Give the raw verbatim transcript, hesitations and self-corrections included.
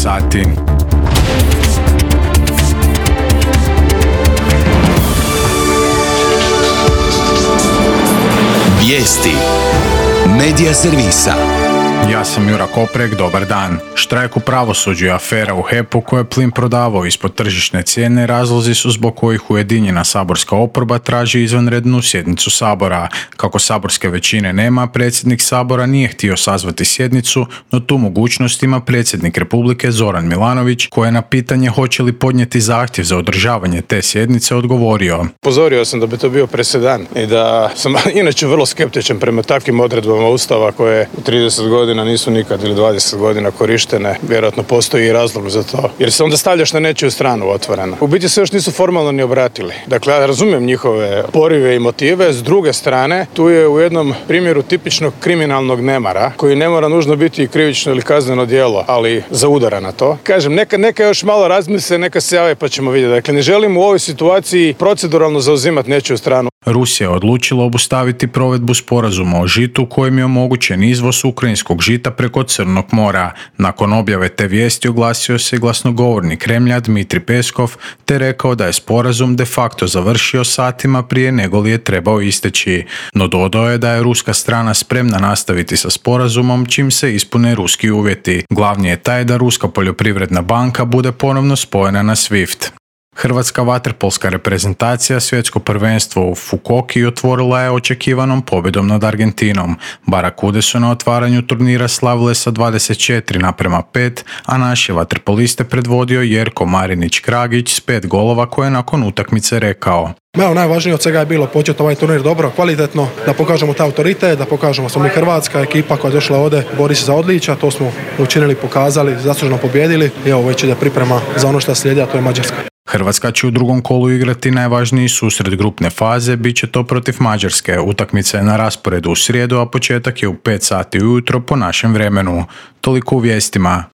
sati. Vijesti Medija servisa. Ja sam Jura Koprek, dobar dan. Štrajk u pravosuđu i afera u H E P-u koje je plin prodavao ispod tržišne cijene razlozi su zbog kojih ujedinjena saborska oporba traži izvanrednu sjednicu Sabora. Kako saborske većine nema, predsjednik Sabora nije htio sazvati sjednicu, no tu mogućnost ima predsjednik Republike Zoran Milanović, koji je na pitanje hoće li podnijeti zahtjev za održavanje te sjednice odgovorio. Upozorio sam da bi to bio presedan i da sam inače vrlo skeptičan prema takvim odredbama Ustava koje u trideset godina nisu nikad ili dvadeset godina korištene. Vjerojatno postoji i razlog za to. Jer se onda stavljaš na nečiju stranu otvoreno. U biti se još nisu formalno ni obratili. Dakle, ja razumijem njihove porive i motive. S druge strane, tu je u jednom primjeru tipičnog kriminalnog nemara, koji ne mora nužno biti krivično ili kazneno djelo, ali zaudara na to. Kažem, neka, neka još malo razmisle, neka se jave pa ćemo vidjeti. Dakle, ne želim u ovoj situaciji proceduralno zauzimati nečiju stranu. Rusija je odlučila obustaviti provedbu sporazuma o žitu kojim je omogućen izvoz ukrajinskog žita preko Crnog mora. Nakon objave te vijesti oglasio se glasnogovornik Kremlja Dmitrij Peskov te rekao da je sporazum de facto završio satima prije nego li je trebao isteći. No dodao je da je ruska strana spremna nastaviti sa sporazumom čim se ispune ruski uvjeti. Glavni je taj da Ruska poljoprivredna banka bude ponovno spojena na SWIFT. Hrvatska vaterpolska reprezentacija svjetsko prvenstvo u Fukuoki otvorila je očekivanom pobjedom nad Argentinom. Barakude su na otvaranju turnira slavile sa dvadeset četiri naprema pet, a naše vaterpoliste predvodio Jerko Marinić-Kragić s pet golova koje je nakon utakmice rekao. Evo, najvažnije od svega je bilo početi ovaj turnir dobro, kvalitetno, da pokažemo taj autoritet, da pokažemo smo mi hrvatska ekipa koja je došla ovdje, bori se za odličja, to smo učinili, pokazali, zaslužno pobjedili i evo već ide priprema za ono što slijedi, a to je Mađarska. Hrvatska će u drugom kolu igrati najvažniji susret grupne faze, bit će to protiv Mađarske. Utakmica je na rasporedu u srijedu, a početak je u pet sati ujutro po našem vremenu. Toliko u vijestima.